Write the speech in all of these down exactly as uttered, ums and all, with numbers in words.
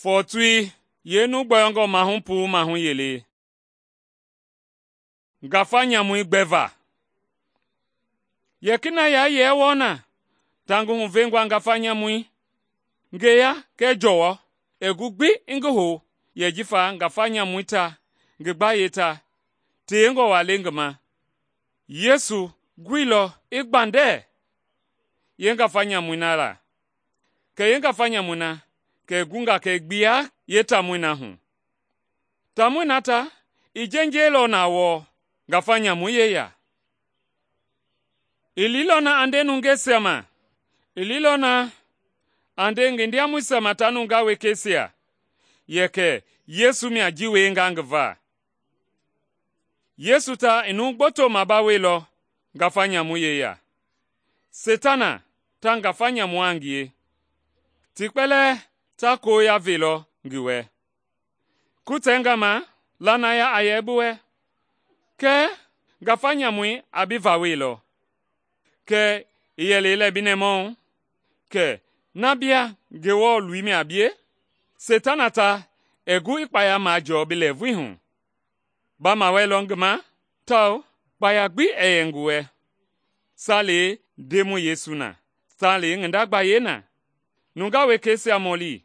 Fɔɔtui yeenu gbɔyɔngɔ mahu puu mahu yelei. Ngafa nyamui gbɛva. Yɛkina yaa yee wɔɔ na ta ngi huvengɔ ngafa nyamui, ngeya kɛɛ jɔwɔ ɛɛ gu gbi i ngi hou yɛ jifa ngafa nyamui ta ngi gbayei ta tewengɔ waa le ngi ma. Yesu guilɔ i gbandɛ yeengafa nyamui na la. Kɛ yeengafa nyamui na kɛ i gunga kɛ i gbiya yeetaamɔi na hu. Taamɔi na ta i jenjeilɔ na wɔɔ ngafa nyamui yeya. I liilɔ na a nde nungeisia ma, i liilɔ na a nde ngi ndiamɔisia ma ta nungaa wekeisia yɛ kɛ Yesu mia ji wienga ngi va. Yesu ta i numu gboto mabaweilɔ ngafa nyamui yeya. Seitana ta ngafa nyamua a ngie, ti kpɛlɛɛ ta koya velɔ ngi wɛ. Kutɛnga ma lanaya a yɛ bi wɛ, kɛɛ ngafa nyamui a bi vaweilɔ. Kɛ i yɛlɛilɛ bi nɛmahu kɛ na bia Ngewɔ loi mia a bie? Seitana ta ɛɛ gu i kpaya majɔɔ bi lɛɛvui hu. Ba mawɛlɔ ngi ma tawao kpaya gbi ɛɛ yɛ ngi wɛ. Saalei Ndemɔi Yesu na, saalei ngi nda gbayei na. Nungaa wekeisia mɔli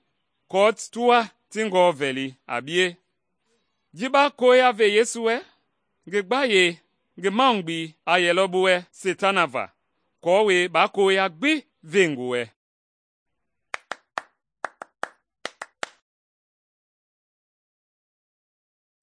kɔɔ ti wa ti Ngewɔ vɛli a bie. Ji ba koya ve Yesu wɛ, ngi gbayei, ngi mahugbei a yɛlɔ bi wɛ Seitana va, aako baa koya gbi ve ngi wɛ.